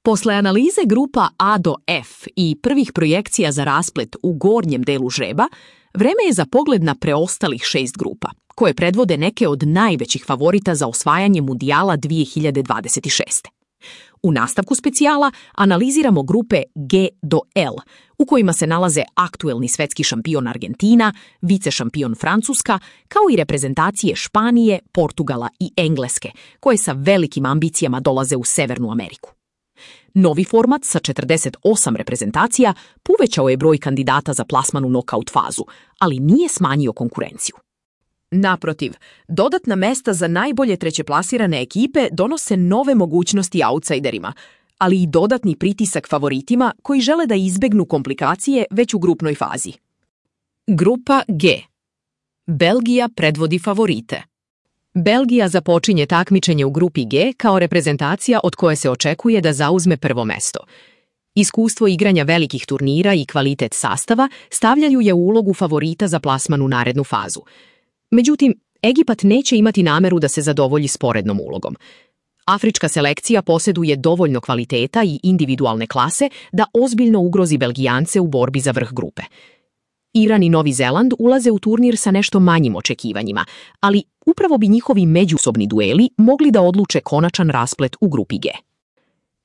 Posle analize grupa A do F i prvih projekcija za rasplet u gornjem delu žreba, vreme je za pogled na preostalih 6 grupa, koje predvode neke od najvećih favorita za osvajanje Mundijala 2026. U nastavku specijala analiziramo grupe G do L, u kojima se nalaze aktuelni svetski šampion Argentina, vice šampion Francuska, kao i reprezentacije Španije, Portugala i Engleske, koje sa velikim ambicijama dolaze u Severnu Ameriku. Novi format sa 48 reprezentacija povećao je broj kandidata za plasman u nokaut fazu, ali nije smanjio konkurenciju. Naprotiv, dodatna mesta za najbolje trećeplasirane ekipe donose nove mogućnosti outsiderima, ali i dodatni pritisak favoritima koji žele da izbegnu komplikacije već u grupnoj fazi. Grupa G. Belgija predvodi favorite. Belgija započinje takmičenje u grupi G kao reprezentacija od koje se očekuje da zauzme prvo mesto. Iskustvo igranja velikih turnira i kvalitet sastava stavljaju je u ulogu favorita za plasman u narednu fazu. Međutim, Egipat neće imati nameru da se zadovolji sporednom ulogom. Afrička selekcija posjeduje dovoljno kvaliteta i individualne klase da ozbiljno ugrozi Belgijance u borbi za vrh grupe. Iran i Novi Zeland ulaze u turnir sa nešto manjim očekivanjima, ali upravo bi njihovi međusobni dueli mogli da odluče konačan rasplet u grupi G.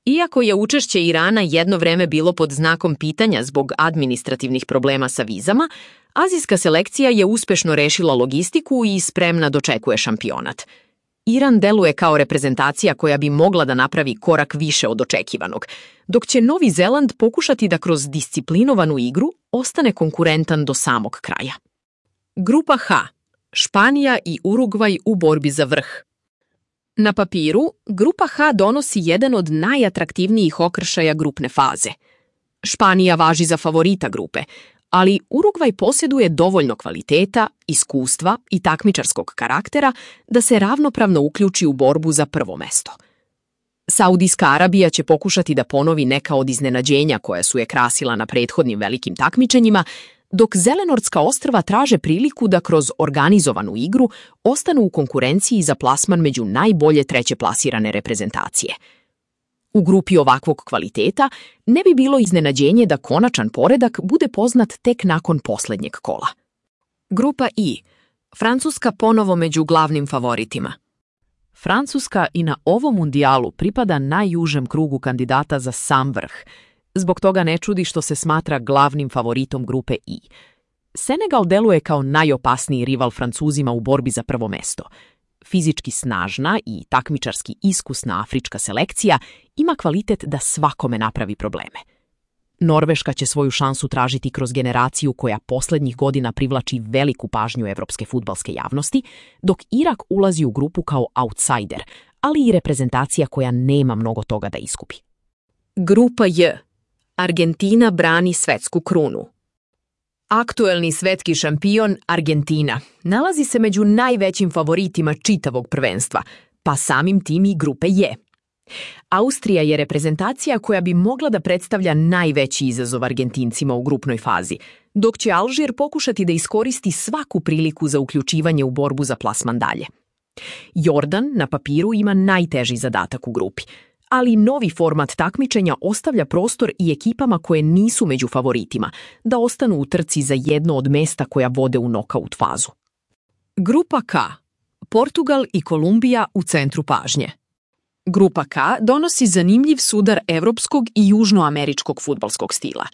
Iako je učešće Irana jedno vreme bilo pod znakom pitanja zbog administrativnih problema sa vizama, azijska selekcija je uspešno rešila logistiku i spremna dočekuje šampionat. Iran deluje kao reprezentacija koja bi mogla da napravi korak više od očekivanog, dok će Novi Zeland pokušati da kroz disciplinovanu igru ostane konkurentan do samog kraja. Grupa H. Španija i Urugvaj u borbi za vrh. Na papiru, grupa H donosi jedan od najatraktivnijih okršaja grupne faze. Španija važi za favorita grupe, ali Urugvaj posjeduje dovoljno kvaliteta, iskustva i takmičarskog karaktera da se ravnopravno uključi u borbu za prvo mesto. Saudijska Arabija će pokušati da ponovi neka od iznenađenja koja su je krasila na prethodnim velikim takmičenjima, dok Zelenortska ostrva traže priliku da kroz organizovanu igru ostanu u konkurenciji za plasman među najbolje treće plasirane reprezentacije. U grupi ovakvog kvaliteta ne bi bilo iznenađenje da konačan poredak bude poznat tek nakon posljednjeg kola. Grupa I. Francuska ponovo među glavnim favoritima. Francuska i na ovom mundijalu pripada najužem krugu kandidata za sam vrh. Zbog toga ne čudi što se smatra glavnim favoritom grupe I. Senegal deluje kao najopasniji rival Francuzima u borbi za prvo mesto. Fizički snažna i takmičarski iskusna afrička selekcija ima kvalitet da svakome napravi probleme. Norveška će svoju šansu tražiti kroz generaciju koja posljednjih godina privlači veliku pažnju evropske fudbalske javnosti, dok Irak ulazi u grupu kao outsider, ali i reprezentacija koja nema mnogo toga da iskupi. Grupa J. Argentina brani svetsku krunu. Aktuelni svetski šampion Argentina nalazi se među najvećim favoritima čitavog prvenstva, pa samim tim i grupe J. Austrija je reprezentacija koja bi mogla da predstavlja najveći izazov Argentincima u grupnoj fazi, dok će Alžir pokušati da iskoristi svaku priliku za uključivanje u borbu za plasman dalje. Jordan na papiru ima najteži zadatak u grupi, ali novi format takmičenja ostavlja prostor i ekipama koje nisu među favoritima da ostanu u trci za jedno od mesta koja vode u nokaut fazu. Grupa K. Portugal i Kolumbija u centru pažnje. Grupa K donosi zanimljiv sudar evropskog i južnoameričkog fudbalskog stila.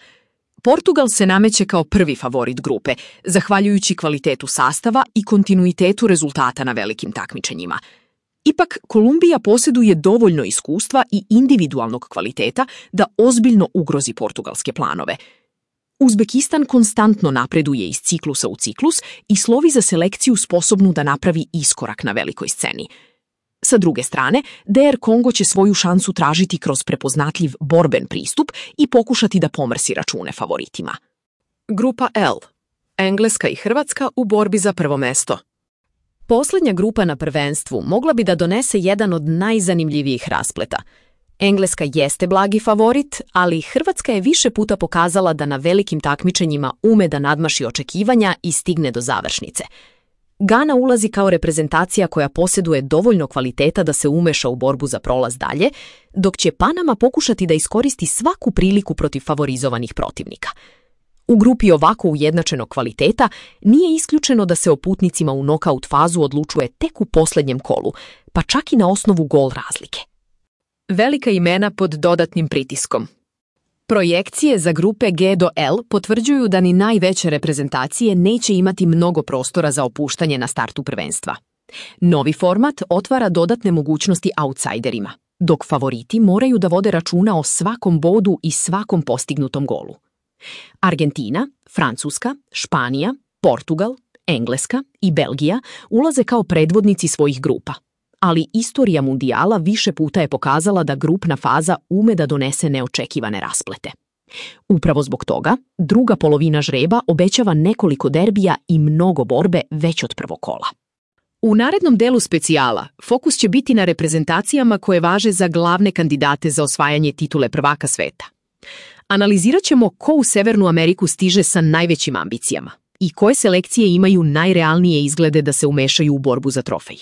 Portugal se nameće kao prvi favorit grupe, zahvaljujući kvalitetu sastava i kontinuitetu rezultata na velikim takmičenjima. Ipak, Kolumbija posjeduje dovoljno iskustva i individualnog kvaliteta da ozbiljno ugrozi portugalske planove. Uzbekistan konstantno napreduje iz ciklusa u ciklus i slovi za selekciju sposobnu da napravi iskorak na velikoj sceni. Sa druge strane, DR Kongo će svoju šansu tražiti kroz prepoznatljiv borben pristup i pokušati da pomrsi račune favoritima. Grupa L. Engleska i Hrvatska u borbi za prvo mesto. Posljednja grupa na prvenstvu mogla bi da donese jedan od najzanimljivijih raspleta. Engleska jeste blagi favorit, ali Hrvatska je više puta pokazala da na velikim takmičenjima ume da nadmaši očekivanja i stigne do završnice. Gana ulazi kao reprezentacija koja posjeduje dovoljno kvaliteta da se umeša u borbu za prolaz dalje, dok će Panama pokušati da iskoristi svaku priliku protiv favorizovanih protivnika. U grupi ovako ujednačenog kvaliteta nije isključeno da se o putnicima u nokaut fazu odlučuje tek u posljednjem kolu, pa čak i na osnovu gol razlike. Velika imena pod dodatnim pritiskom. Projekcije za grupe G do L potvrđuju da ni najveće reprezentacije neće imati mnogo prostora za opuštanje na startu prvenstva. Novi format otvara dodatne mogućnosti outsiderima, dok favoriti moraju da vode računa o svakom bodu i svakom postignutom golu. Argentina, Francuska, Španija, Portugal, Engleska i Belgija ulaze kao predvodnici svojih grupa, ali istorija mundijala više puta je pokazala da grupna faza ume da donese neočekivane rasplete. Upravo zbog toga, druga polovina žreba obećava nekoliko derbija i mnogo borbe već od prvog kola. U narednom delu specijala fokus će biti na reprezentacijama koje važe za glavne kandidate za osvajanje titule prvaka sveta. Analizirat ćemo ko u Severnu Ameriku stiže sa najvećim ambicijama i koje selekcije imaju najrealnije izglede da se umešaju u borbu za trofej.